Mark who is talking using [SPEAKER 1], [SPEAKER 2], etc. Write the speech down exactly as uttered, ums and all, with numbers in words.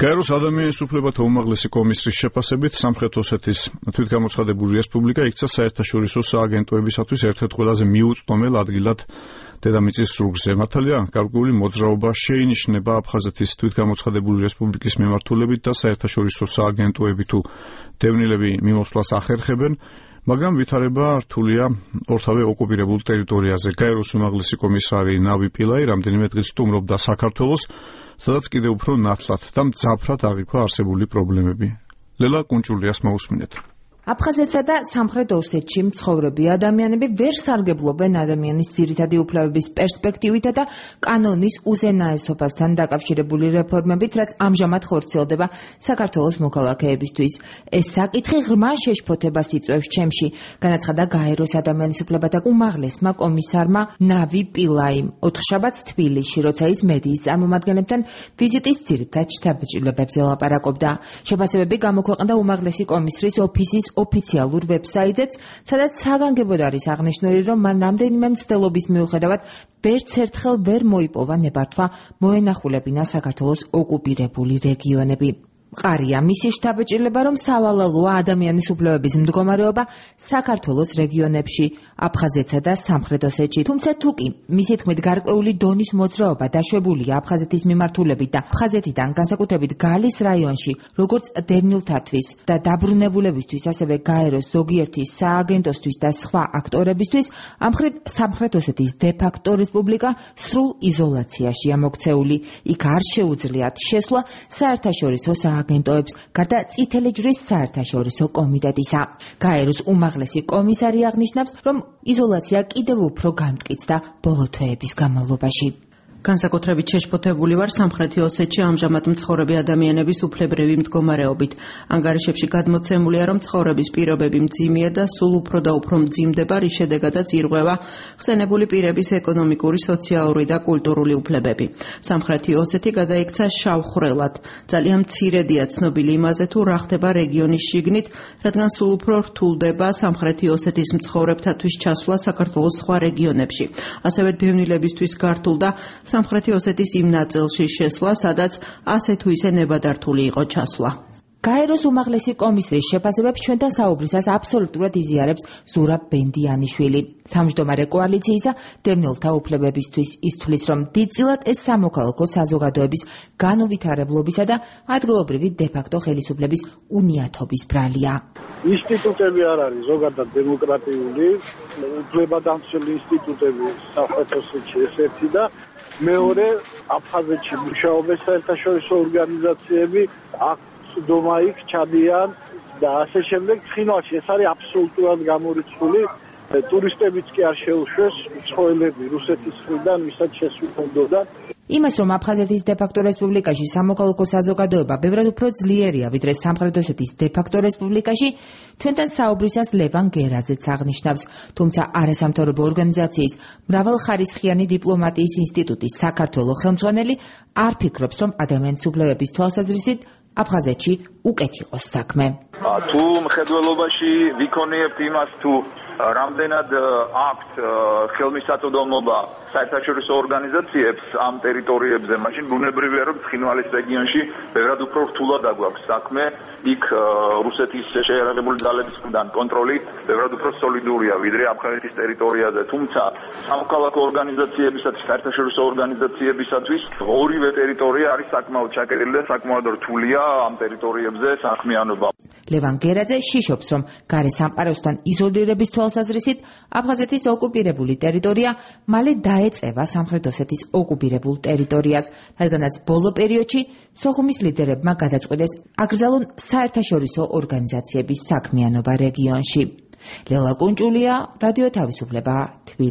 [SPEAKER 1] გაეროს ადამიანის უფლებათა უმაღლესი კომისრის შეფასებით სამხრეთ ოსეთის თვითგამოცხადებული რესპუბლიკა იქცა საერთაშორისო სააგენტოებისათვის ერთ-ერთ ყველაზე მიუწვდომელ ადგილად დედამიწის ზურგზე. მართალია, გარკვეული მოძრაობა შეინიშნება აფხაზეთის თვითგამოცხადებული რესპუბლიკის მიმართულებით და საერთაშორისო სააგენტოები თუ დევნილები მიმოსვლას ახერხებენ, მაგრამ ვითარება რთულია ორთავე ოკუპირებულ ტერიტორიაზე. გაეროს უმაღლესი კომისარი ნავი პილაი რამდენიმე დღის სტუმრობდა საქართველოს, სადაც კიდევ უფრო ნათლად და მძაფრად აღიქვა არსებული პრობლემები. ლელა კუნჭულიას მოусმინეთ.
[SPEAKER 2] აფხაზეთსა და სამხრეთ ოსეთში მცხოვრები ადამიანები ვერ სარგებლობენ ადამიანის ძირითადი უფლებების პერსპექტივითა და კანონის უზენაესობასთან დაკავშირებული რეფორმებით, რაც ამჟამად ხორციელდება საქართველოს მოქალაქეებისთვის. ეს საკითხი ღრმა შეშფოთებას იწვევს ჩემში, განაცხადა გაეროს ადამიანის უფლებათა უმაღლესმა კომისარმა ნავი პილაიმ ოთხშაბათს თბილისში, როცა ის მედიის წარმომადგენლებთან ვიზიტის ძირითად შთაბეჭდილებებზე ლაპარაკობდა. შეფასებები გამოქვეყნდა უმაღლესი კომისრის ოფისის ოფიციალურ ვებსაიტეც, სადაც საგანგებოდ არის აღნიშნული, რომ მან რამდენიმე მცდელობის მიუხედავად ვერც ერთხელ ვერ მოიპოვა ნებართვა მოენახულებინა საქართველოს ოკუპირებული რეგიონები. მყარია მისი შთაბეჭდილება, რომ სავალალოა ადამიანის უფლებების მდგომარეობა საქართველოს რეგიონებში, აფხაზეთსა და სამხრეთ ოსეთში. თუმცა თუ კი მისი თქმით გარკვეული დონის მოძრაობა დაშვებულია აფხაზეთის მიმართულებით და აფხაზეთიდან განსაკუთრებით გალის რაიონში, როგორც დევნილთათვის და დაბრუნებულებისთვის, ასევე გაეროს ზოგიერთი სააგენტოსთვის და სხვა აქტორებისთვის, ამ მხრივ სამხრეთ ოსეთის დე-ფაქტო რესპუბლიკა სრულ იზოლაციაშია მოქცეული. იქ არ შეუძლიათ შესვლა საერთაშორისო აგენტოებს, გარდა წითელი ჯვრის საერთაშორისო კომიტეტისა. გაეროს უმაღლესი კომისარი აღნიშნავს, რომ იზოლაცია კიდევ უფრო გამტკიცდა ბოლო თვეების განმავლობაში.
[SPEAKER 3] განსაკუთრებით შეშფოთებული ვარ სამხრეთი ოსეთში ამჟამად მცხოვრები ადამიანების უფლებრივი მდგომარეობით. ანგარიშებში გადმოცემულია, რომ ცხოვრების პირობები მძიმეა და სულ უფრო და უფრო მძიმდება, რის შედეგადაც ირღვევა ხსენებული პირების ეკონომიკური, სოციალური და კულტურული უფლებები. სამხრეთი ოსეთი გადაიქცა შავ ხვრელად. ძალიან მცირედია ცნობილი იმაზე, თუ რა ხდება რეგიონის შიგნით, რადგან სულ უფრო რთულდება სამხრეთი ოსეთის მცხოვრებთათვის ჩასვლა საქართველოს სხვა რეგიონებში. ასევე დევნილებისთვის გართულდა სამხრეთი ოსეთის იმ ნაწილში შესვლა, სადაც ასე თუ ისე ნებადართული იყო ჩასვლა.
[SPEAKER 2] გაეროს უმაღლესი კომისრის შეფასებებს ჩვენთან საუბრისას აბსოლუტურად იზიარებს ზურაბ ბენდიანიშვილი. სამჯდომარე კოალიციისა დევნილთა უფლებებისთვის ის თვლის, რომ დიდწილად ეს სამოქალაქო საზოგადოების განუვითარებლობისა და ადგილობრივი დე-ფაქტო ხელისუფლების უნიათობის ბრალია.
[SPEAKER 4] ინსტიტუტები არ არის ზოგადად დემოკრატიული, უფლებადამცველი ინსტიტუტები სამხრეთ ოსეთში ეს ერთი და მეორე აფხაზეთში მუშაობენ საერთაშორისო ორგანიზაციები, აქ დომა იქ ჩადიან და ასე შემდეგ. ცხინვალში ეს არის აბსოლუტურად გამორიცხული, ტურისტებიც კი არ შეუშვეს, მცხოვრებლები რუსეთის მხრიდან ვისაც შესვლა უნდოდა.
[SPEAKER 2] იმას, რომ აფხაზეთის დე-ფაქტო რესპუბლიკაში სამოქალაქო საზოგადოება ბევრად უფრო ძლიერია, ვიდრე სამხრეთ ოსეთის დე-ფაქტო რესპუბლიკაში, ჩვენთან საუბრისას ლევან გერაძეც აღნიშნავს. თუმცა არასამთავრობო ორგანიზაციის მრავალხარისხიანი დიპლომატიის ინსტიტუტის საქართველოს ხელმძღვანელი არ ფიქრობს, რომ ადამიანის უფლებების თვალსაზრისით აფხაზეთში უკეთ იყოს საქმე.
[SPEAKER 5] თუ მხედველობაში ვიქონიებთ იმას, თუ რამდენად აქვთ ხელმისაწვდომობა საერთაშორისო ორგანიზაციებს ამ ტერიტორიებზე, მაშინ ბუნებრივია, რომ ცხინვალის რეგიონში ბევრად უფრო რთულად აგვაქვს საქმე. იქ რუსეთის შეიარაღებული ძალების მხრიდან კონტროლი ბევრად უფრო სოლიდურია, ვიდრე აფხაზეთის ტერიტორიაზე. თუმცა სამოქალაქო ორგანიზაციებისათვის, საერთაშორისო ორგანიზაციებისათვის ორივე ტერიტორია არის საკმაოდ ჩაკეტილი და საკმაოდ რთულია ამ ტერიტორიებზე საქმიანობა.
[SPEAKER 2] ლევან გერაძე შიშობს, რომ გარე სამყაროსთან იზოლირების თვალსაზრისით აფხაზეთის ოკუპირებული ტერიტორია მალე დაეწევა სამხრეთ ოსეთის ოკუპირებულ ტერიტორიას, რადგანაც ბოლო პერიოდში სოხუმის ლიდერებმა გადაწყვიტეს აკრძალონ საერთაშორისო ორგანიზაციების საქმიანობა რეგიონში. ლელა კუნჭულია, რადიო თავისუფლება, თბილისი.